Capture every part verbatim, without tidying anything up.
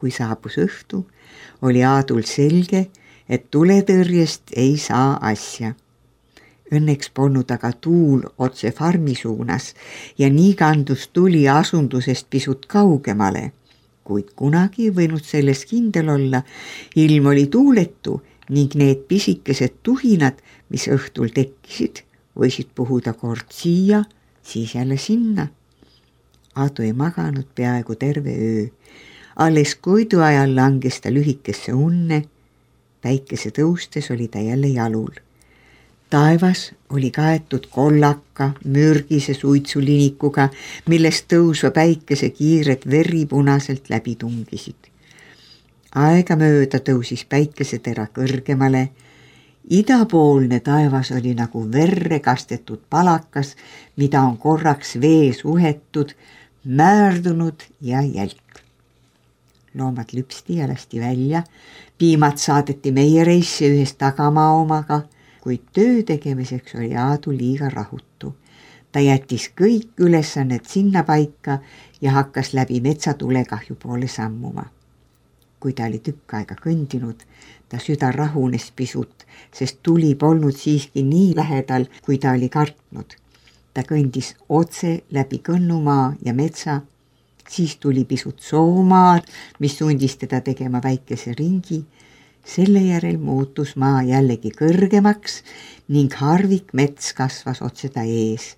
Kui saabus õhtu, oli Aadul selge, et tuletõrjest ei saa asja. Õnneks polnud aga tuul otse farmi suunas ja nii kandus tuli asundusest pisut kaugemale, kuid kunagi ei võinud selles kindel olla, ilm oli tuuletu ning need pisikesed tuhinad, mis õhtul tekkisid, võisid puhuda kord siia, siis jälle sinna. Aadu ei maganud peaaegu terve öö. Alles koidu ajal langes ta lühikesse unne, päikese tõustes oli ta jälle jalul. Taevas oli kaetud kollaka, mürgise suitsulinikuga, millest tõusva päikese kiired veripunaselt läbi tungisid. Aega mööda tõusis päikesetera kõrgemale. Idapoolne taevas oli nagu verre kastetud palakas, mida on korraks vees uhetud, määrdunud ja jälk. Loomad lüpsti ja lasti välja, piimad saadeti meiereisse ühes tagamaa omaga, kuid töö tegemiseks oli Aadu liiga rahutu. Ta jättis kõik ülesanned sinna paika ja hakkas läbi metsatulekahju poole sammuma. Kui ta oli tükk aega kõndinud, ta süda rahunes pisut, sest tuli polnud siiski nii lähedal, kui ta oli kartnud. Ta kõndis otse läbi kõnnumaa ja metsa, siis tuli pisut soomaad, mis sundis teda tegema väikese ringi. Selle järel muutus maa jällegi kõrgemaks ning harvik mets kasvas otse ta ees.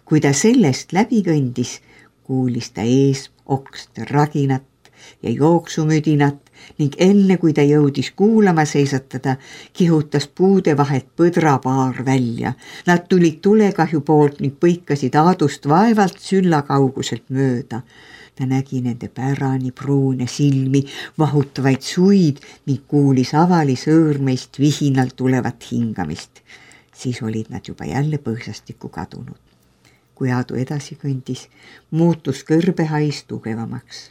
Kui ta sellest läbi kõndis, kuulis ta ees okste raginat ja jooksumüdinat ning enne kui ta jõudis kuulama seisatada, kihutas puude vahelt põdrapaar välja. Nad tulid tulekahju poolt ning põikasid Aadust vaevalt sülla kauguselt mööda. Ta nägi nende pärani pruune silmi, vahutavaid suid ning kuulis avali sõõrmeist vihinalt tulevat hingamist. Siis olid nad juba jälle põõsastikku kadunud. Kui Aadu edasi kõndis, muutus kõrbehais tugevamaks.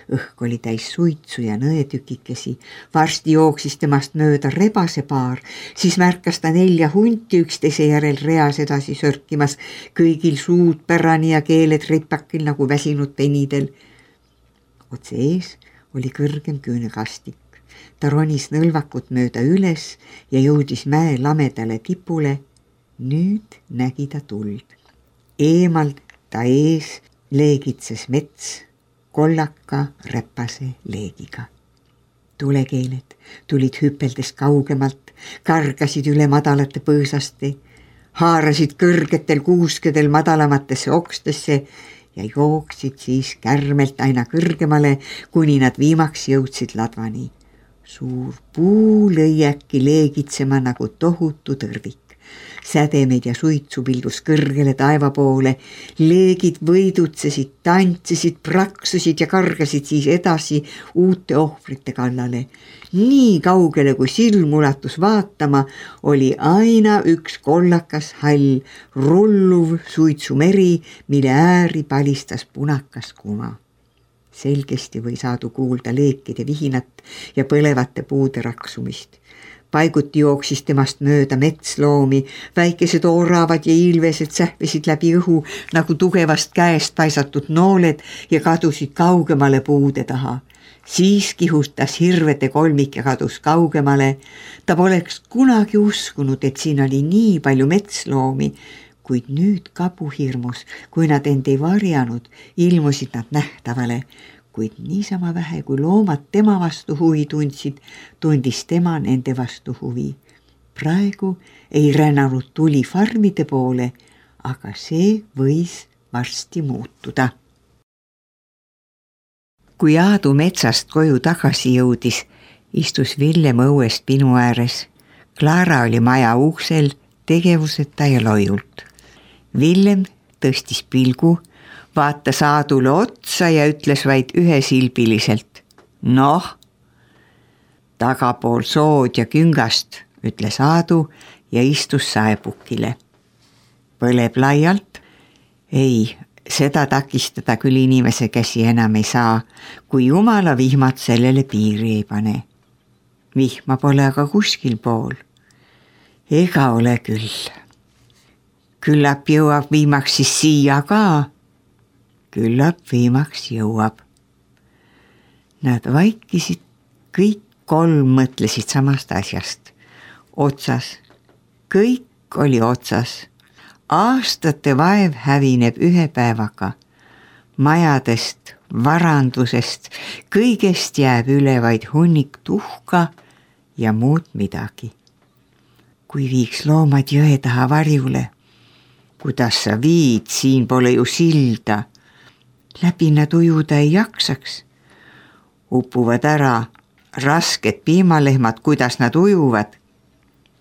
Õhk oli täis suitsu ja nõetükikesi. Varsti jooksis temast mööda rebase paar, siis märkas ta nelja hunti üksteise järel reas edasi sörkimas, kõigil suud pärani ja keeled ripakil nagu väsinud penidel. Otse ees oli kõrgem küünekastik. Ta ronis nõlvakut mööda üles ja jõudis mäe lamedale tipule. Nüüd nägi ta tuld. Eemalt ta ees leegitses mets kollaka räpase leegiga. Tulekeeled tulid hüpeldes kaugemalt, kargasid üle madalate põõsaste, haarasid kõrgetel kuuskedel madalamatesse okstesse ja jooksid siis kärmelt aina kõrgemale, kuni nad viimaks jõudsid ladvani. Suur puu lõi äkki leegitsema nagu tohutu tõrvik. Sädemeid ja suitsu pildus kõrgele taeva poole, leegid võidutsesid, tantsisid, praksusid ja kargasid siis edasi uute ohvrite kallale. Nii kaugele, kui silm ulatus vaatama, oli aina üks kollakas hall, rulluv suitsumeri, mille ääri palistas punakas kuma. Selgesti võis Aadu kuulda leekide vihinat ja põlevate puude raksumist. Paiguti jooksis temast mööda metsloomi, väikesed oravad ja ilvesed sähvisid läbi õhu nagu tugevast käest paisatud nooled ja kadusid kaugemale puude taha. Siis kihustas hirvete kolmik ja kadus kaugemale. Ta poleks kunagi uskunud, et siin oli nii palju metsloomi, kuid nüüd kabuhirmus, kui nad end ei varjanud, ilmusid nad nähtavale. Kuid niisama vähe, kui loomad tema vastu huvi tundsid, tundis tema nende vastu huvi. Praegu ei rännanud tuli farmide poole, aga see võis varsti muutuda. Kui Aadu metsast koju tagasi jõudis, istus Villem õuest pinu ääres. Klaara oli maja uksel, tegevuseta ja loiult. Villem tõstis pilgu, vaatas Aadule otsa ja ütles vaid ühesilbiliselt. Noh, tagapool sood ja küngast, ütles Aadu ja istus saepukile. Põleb laialt? Ei, seda takistada küll inimese käsi enam ei saa, kui jumala vihmad sellele piiri ei pane. Vihma pole aga kuskil pool. Ega ole küll. Küllap jõuab viimaks siis siia ka. Küllap viimaks jõuab. Nad vaikisid, kõik kolm mõtlesid samast asjast. Otsas, kõik oli otsas. Aastate vaev hävineb ühe päevaga. Majadest, varandusest, kõigest jääb üle vaid hunnik tuhka ja muud midagi. Kui viiks loomad jõe taha varjule, kuidas sa viid, siin pole ju silda. Läbi nad ujuda ei jaksaks. Upuvad ära rasked piimalehmad, kuidas nad ujuvad.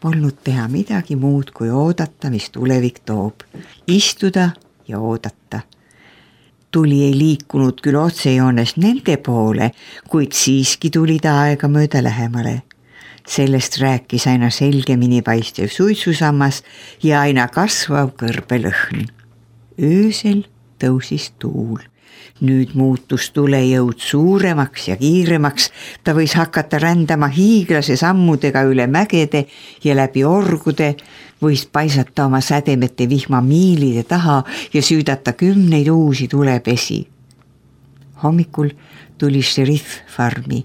Polnud teha midagi muud kui oodata, mis tulevik toob. Istuda ja oodata. Tuli ei liikunud küll otsejoones nende poole, kuid siiski tuli ta aega mööda lähemale. Sellest rääkis aina selgemini paistev suitsusammas ja aina kasvav kõrbelõhn. Öösel tõusis tuul. Nüüd muutus tulejõud suuremaks ja kiiremaks. Ta võis hakata rändama hiiglase sammudega üle mägede ja läbi orgude, võis paisata oma sädemete vihma miilide taha ja süüdata kümneid uusi tulepesi. Hommikul tuli šerif farmi.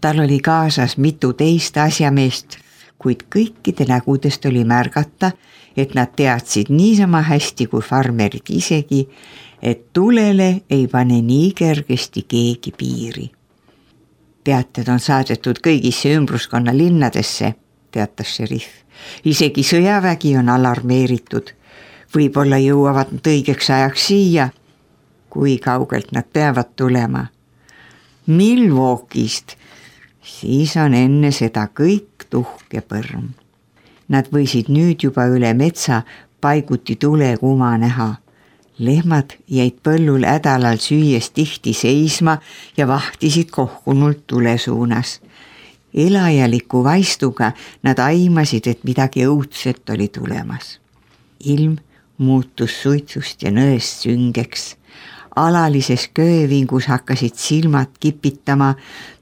Tal oli kaasas mitu teist asjameest, kuid kõikide nägudest oli märgata, et nad teadsid niisama hästi kui farmerid isegi, et tulele ei pane nii kergesti keegi piiri. Teated on saadetud kõigisse ümbruskonna linnadesse, teatas šerif. Isegi sõjavägi on alarmeeritud. Võib-olla jõuavad nad õigeks ajaks siia, kui kaugelt nad peavad tulema. Milwaukee'st, siis on enne seda kõik tuhk ja põrm. Nad võisid nüüd juba üle metsa paiguti tulekuma näha. Lehmad jäid põllul hädalal süües tihti seisma ja vahtisid kohkunult tule suunas. Elajaliku vaistuga nad aimasid, et midagi õudset oli tulemas. Ilm muutus suitsust ja nõest süngeks. Alalises köövingus hakkasid silmad kipitama,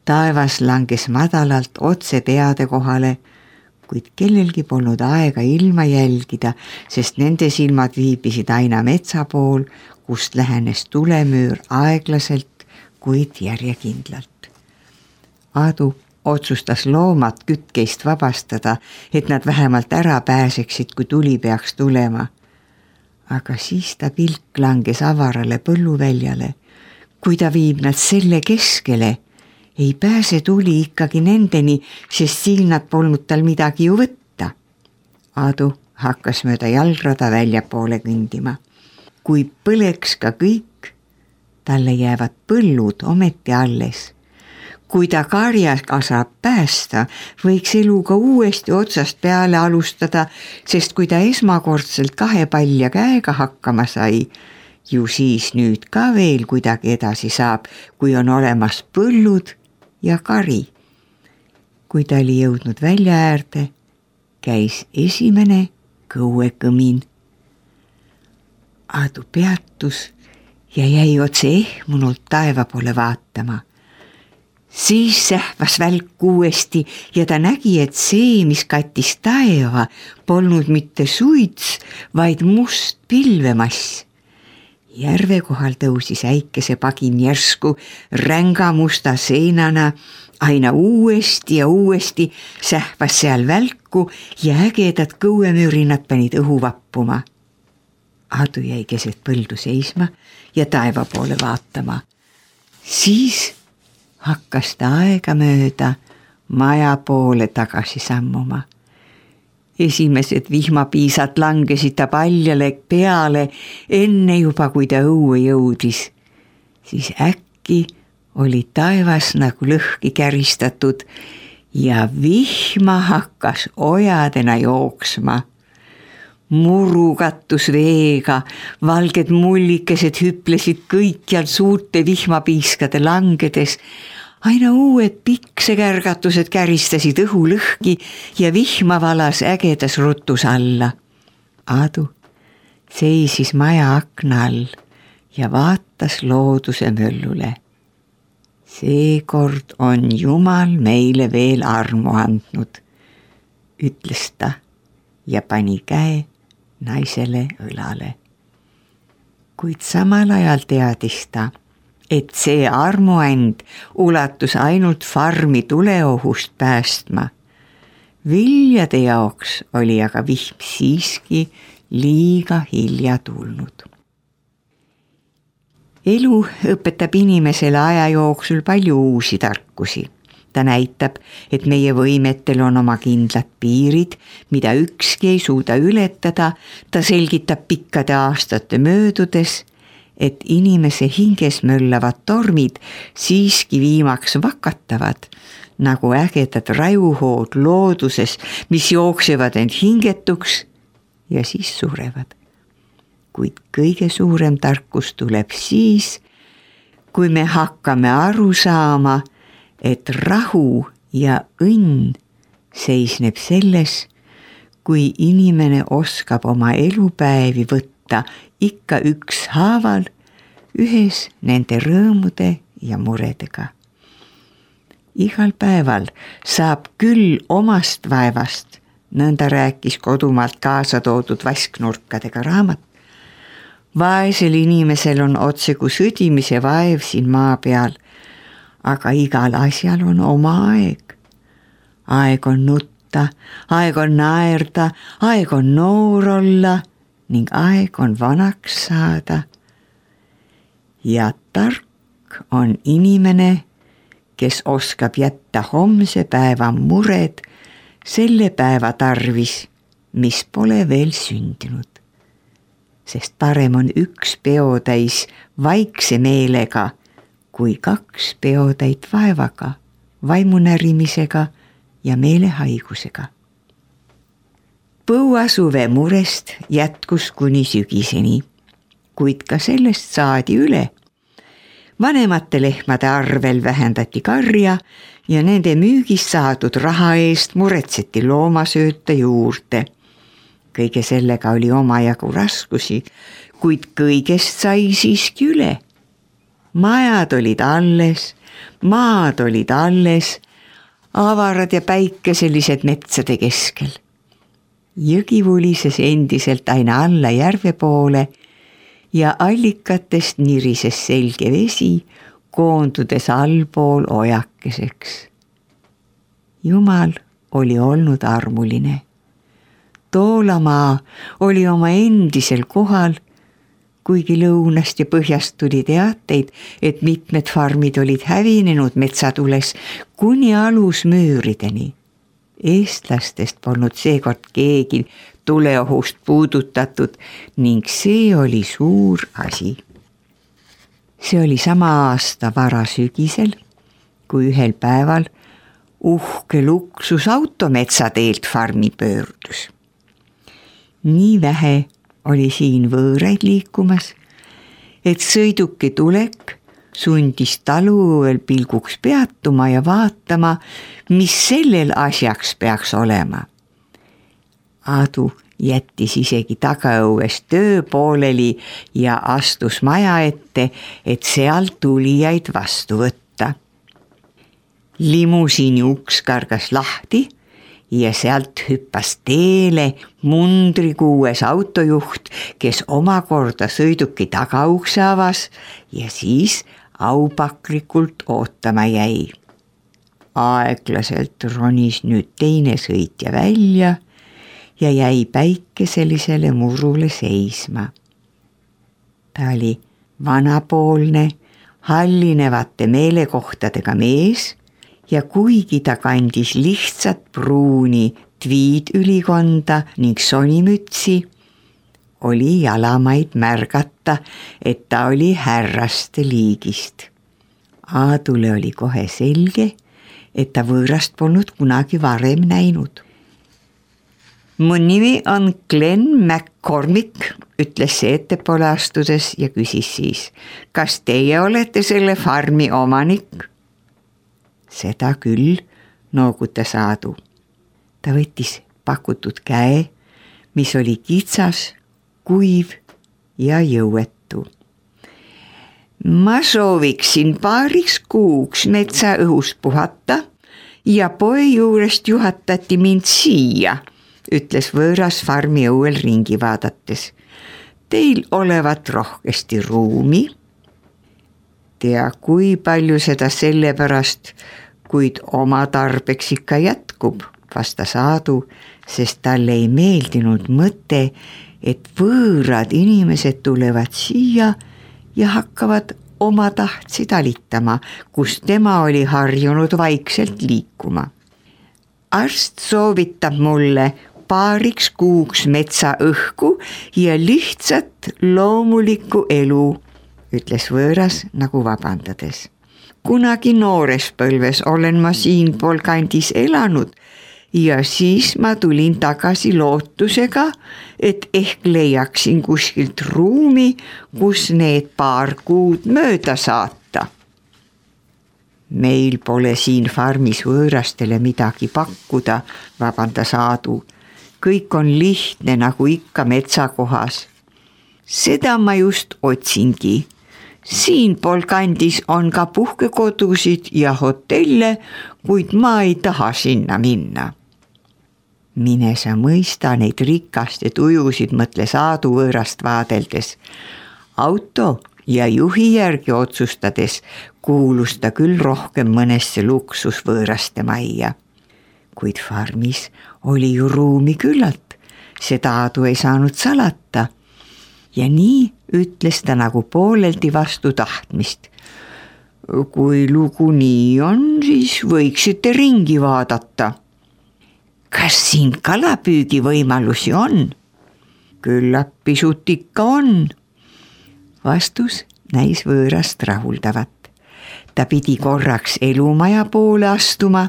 taevas langes madalalt otse peade kohale, kuid kellelgi polnud aega ilma jälgida, sest nende silmad viibisid aina metsa pool, kust lähenes tulemüür aeglaselt, kuid järjekindlalt. Aadu otsustas loomad kütkeist vabastada, et nad vähemalt ära pääseksid, kui tuli peaks tulema. Aga siis ta pilk langes avarale põlluväljale. Kui ta viib nad selle keskele, ei pääse tuli ikkagi nendeni, sest siin nad polnud tal midagi ju võtta. Aadu hakkas mööda jalgrada välja poole kõndima. Kui põleks ka kõik, talle jäävad põllud ometi alles. Kui ta karjaga saab päästa, võiks eluga uuesti otsast peale alustada, sest kui ta esmakordselt kahe palja käega hakkama sai, ju siis nüüd ka veel kuidagi edasi saab, kui on olemas põllud ja kari. Kui ta oli jõudnud välja äärde, käis esimene kõuekõmin. Aadu peatus ja jäi otse ehmunult taeva poole vaatama. Siis sähvas välk uuesti ja ta nägi, et see, mis kattis taeva, polnud mitte suits, vaid must pilvemass. Järve kohal tõusis äikese pagin järsku ränga musta seinana, aina uuesti ja uuesti sähvas seal välku ja ägedad kõuemüürinad panid õhu vappuma. Aadu jäi keset põldu seisma ja taeva poole vaatama. Siis hakkas ta aega mööda maja poole tagasi sammuma. Esimesed vihmapiisad langesid ta paljale peale enne juba, kui ta õue jõudis. Siis äkki oli taevas nagu lõhki käristatud ja vihma hakkas ojadena jooksma. Muru kattus veega, valged mullikesed hüplesid kõikjal suurte vihmapiiskade langedes. Aina uued piksekärgatused käristasid õhu lõhki ja vihma valas ägedas rutus alla. Aadu seisis maja akna all ja vaatas looduse möllule. Seekord on Jumal meile veel armu andnud, ütles ta ja pani käe naisele õlale. Kuid samal ajal teadis ta, et see armuand ulatus ainult farmi tuleohust päästma. Viljade jaoks oli aga vihm siiski liiga hilja tulnud. Elu õpetab inimesele aja jooksul palju uusi tarkusi. Ta näitab, et meie võimetel on oma kindlad piirid, mida ükski ei suuda ületada. Ta selgitab pikkade aastate möödudes, et inimese hinges möllavad tormid siiski viimaks vakatavad, nagu ägedad rajuhood looduses, mis jooksevad end hingetuks ja siis surevad. Kuid kõige suurem tarkus tuleb siis, kui me hakkame aru saama, et rahu ja õnn seisneb selles, kui inimene oskab oma elupäevi võtta ikka ükshaaval ühes nende rõõmude ja muredega. Igal päeval saab küll omast vaevast, nõnda rääkis kodumaalt kaasa toodud vasknurkadega raamat. Vaesel inimesel on otse kui sõdimise vaev siin maa peal, aga igal asjal on oma aeg. Aeg on nutta, aeg on naerda, aeg on noor olla ning aeg on vanaks saada. Ja tark on inimene, kes oskab jätta homse päeva mured selle päeva tarvis, mis pole veel sündinud. Sest parem on üks peotäis vaikse meelega, kui kaks peotäit vaevaga, vaimunärimisega ja meelehaigusega. Põuasuve murest jätkus kuni sügiseni, kuid ka sellest saadi üle. Vanemate lehmade arvel vähendati karja ja nende müügist saadud raha eest muretseti loomasööta juurde. Kõige sellega oli omajagu raskusi, kuid kõigest sai siiski üle. Majad olid alles, maad olid alles, avarad ja päikeselised metsade keskel. Jõgi vulises endiselt aina alla järve poole ja allikatest nirises selge vesi, koondudes allpool ojakeseks. Jumal oli olnud armuline. Toolamaa oli oma endisel kohal, kuigi lõunast ja põhjast tuli teateid, et mitmed farmid olid hävinenud metsatules kuni alusmüürideni. Eestlastest polnud seekord keegi tuleohust puudutatud ning see oli suur asi. See oli sama aasta varasügisel, kui ühel päeval uhke luksusauto metsateelt farmi pöördus. Nii vähe oli siin võõraid liikumas, et sõiduki tulek sundis taluõel pilguks peatuma ja vaatama, mis sellel asjaks peaks olema. Aadu jättis isegi tagaõues töö pooleli ja astus maja ette, et sealt tulijaid vastu võtta. Limusiini uks kargas lahti ja sealt hüppas teele mundrikuues autojuht, kes omakorda sõiduki tagaukse avas ja siis aupaklikult ootama jäi. Aeglaselt ronis nüüd teine sõitja välja ja jäi päikeselisele murule seisma. Ta oli vanapoolne, hallinevate meelekohtadega mees ja kuigi ta kandis lihtsat pruuni tviidülikonda ning sonimütsi, oli jalamaid märgata, et ta oli härraste liigist. Aadule oli kohe selge, et ta võõrast polnud kunagi varem näinud. Mu nimi on Glenn McCormick, ütles see ettepoole astudes ja küsis siis, kas teie olete selle farmi omanik? Seda küll, noogutas Aadu. Ta võttis pakutud käe, mis oli kitsas, kuiv ja jõuetu. Ma sooviksin paariks kuuks metsa õhus puhata ja poe juurest juhatati mind siia, ütles võõras farmi õuel ringi vaadates. Teil olevat rohkesti ruumi. tea, kui palju seda sellepärast, kuid oma tarbeks ikka jätkub, vastas Aadu, sest talle ei meeldinud mõte, et võõrad inimesed tulevad siia ja hakkavad oma tahtsi talitama, kus tema oli harjunud vaikselt liikuma. Arst soovitab mulle paariks kuuks metsa õhku ja lihtsat loomulikku elu, ütles võõras nagu vabandades. Kunagi noores põlves olen ma siinpool kandis elanud ja siis ma tulin tagasi lootusega, et ehk leiaksin kuskilt ruumi, kus need paar kuud mööda saata. Meil pole siin farmis võõrastele midagi pakkuda, vabandas Aadu. Kõik on lihtne nagu ikka metsakohas. Seda ma just otsingi. Siinpool kandis on ka puhkekodusid ja hotelle, kuid ma ei taha sinna minna. Mine sa mõista neid rikaste tujusid, mõtles Aadu võõrast vaadeldes. Auto ja juhi järgi otsustades kuulus ta küll rohkem mõnesse luksusvõõraste majja. Kuid farmis oli ju ruumi küllalt, seda Aadu ei saanud salata. Ja nii ütles ta nagu pooleldi vastu tahtmist. Kui lugu nii on, siis võiksite ringi vaadata. Kas siin kalapüügi võimalusi on? Küllap pisut ikka on. Vastus näis võõrast rahuldavat. Ta pidi korraks elumaja poole astuma,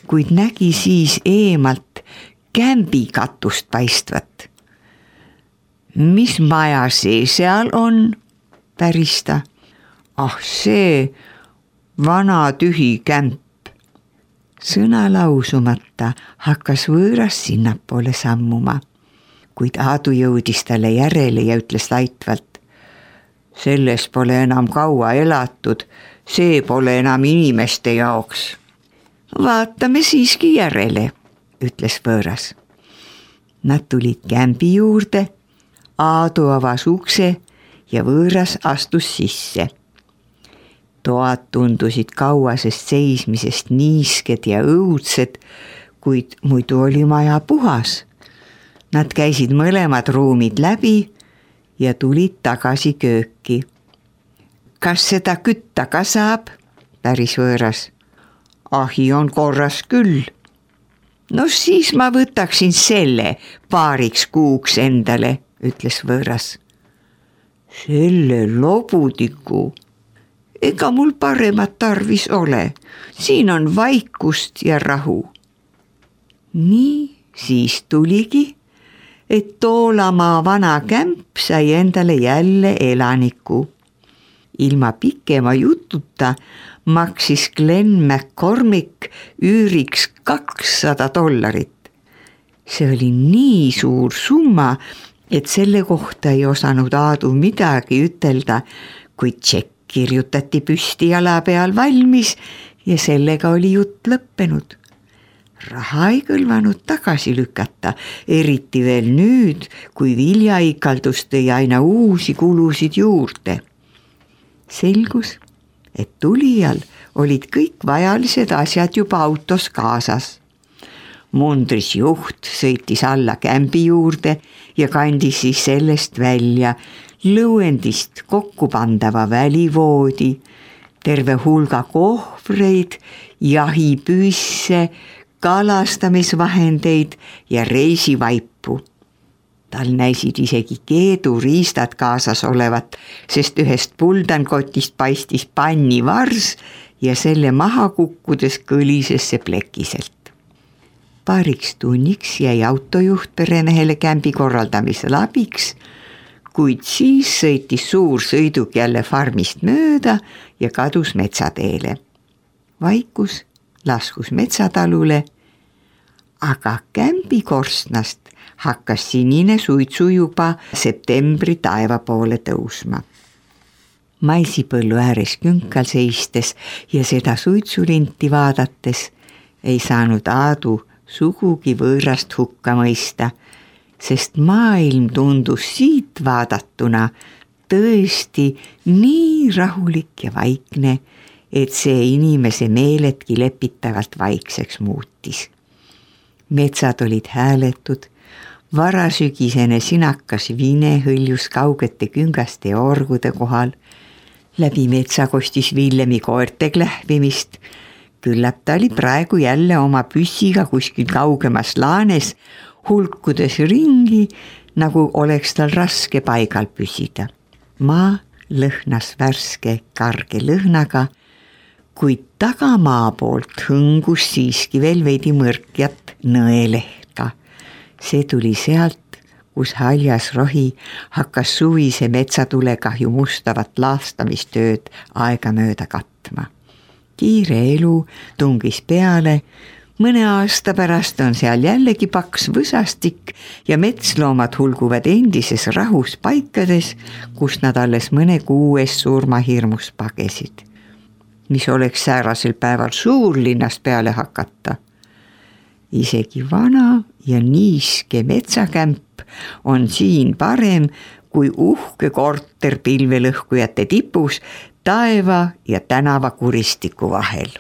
kuid nägi siis eemalt kämbi katust paistvat. Mis maja see seal on? Päris ta. Ah see vana tühi kämp. Sõna lausumata hakkas võõras sinnapoole sammuma, kuid Aadu jõudis talle järele ja ütles laitvalt. Selles pole enam kaua elatud, see pole enam inimeste jaoks. Vaatame siiski järele, ütles võõras. Nad tulid kämbi juurde, Aadu avas ukse ja võõras astus sisse. Toad tundusid kauasest seismisest niisked ja õudsed, kuid muidu oli maja puhas. Nad käisid mõlemad ruumid läbi ja tulid tagasi kööki. Kas seda kütta ka saab? Päris võõras. Ahi on korras küll. No siis ma võtaksin selle paariks kuuks endale, ütles võõras. Selle lobudiku. Ega mul paremat tarvis ole. Siin on vaikust ja rahu. Nii siis tuligi, et Toolamaa vana kämp sai endale jälle elaniku. Ilma pikema jututa maksis Glenn McCormick üüriks kakssada dollarit. See oli nii suur summa, et selle kohta ei osanud Aadu midagi ütelda, kuid tšekk kirjutati püsti jala peal valmis ja sellega oli jutt lõppenud. Raha ei kõlvanud tagasi lükata, eriti veel nüüd, kui viljaikaldus tõi aina uusi kulusid juurde. Selgus, et tulijal olid kõik vajalised asjad juba autos kaasas. Mundris juht sõitis alla kämbi juurde ja kandis siis sellest välja lõuendist kokkupandava välivoodi, terve hulga kohvreid, jahipüüsse, kalastamisvahendeid ja reisivaipu. Tal näisid isegi keeduriistad kaasas olevat, sest ühest puldankotist paistis panni vars ja selle maha kukkudes kõlises see plekiselt. Paariks tunniks jäi autojuht peremehele kämbi korraldamisel abiks, kuid siis sõitis suur sõiduk jälle farmist mööda ja kadus metsateele. Vaikus laskus metsatalule, aga kämbi korstnast hakkas sinine suitsu juba septembri taeva poole tõusma. Maisipõllu ääres künkal seistes ja seda suitsulinti vaadates ei saanud Aadu sugugi võõrast hukka mõista, sest maailm tundus siit vaadatuna tõesti nii rahulik ja vaikne, et see inimese meeledki lepitavalt vaikseks muutis. Metsad olid hääletud, varasügisene sinakas vine hõljus kaugete küngaste ja orgude kohal, läbi metsa kostis Villemi koerte klähvimist. Küllap ta oli praegu jälle oma püssiga kuskil kaugemas laanes, hulkudes ringi, nagu oleks tal raske paigal püsida. Maa lõhnas värske karge lõhnaga, kuid tagamaa poolt hõngus siiski veel veidi mõrkjat nõelehka. See tuli sealt, kus haljas rohi hakkas suvise metsatulegahju mustavat laastamistööd aegamööda katma. Kiire elu tungis peale, mõne aasta pärast on seal jällegi paks võsastik ja metsloomad hulguvad endises rahus paikades, kus nad alles mõne kuu eest surmahirmus pagesid. Mis oleks säärasel päeval suurlinnast peale hakata. Isegi vana ja niiske metsakämp on siin parem kui uhke korter pilvelõhkujate tipus taeva ja tänava kuristiku vahel.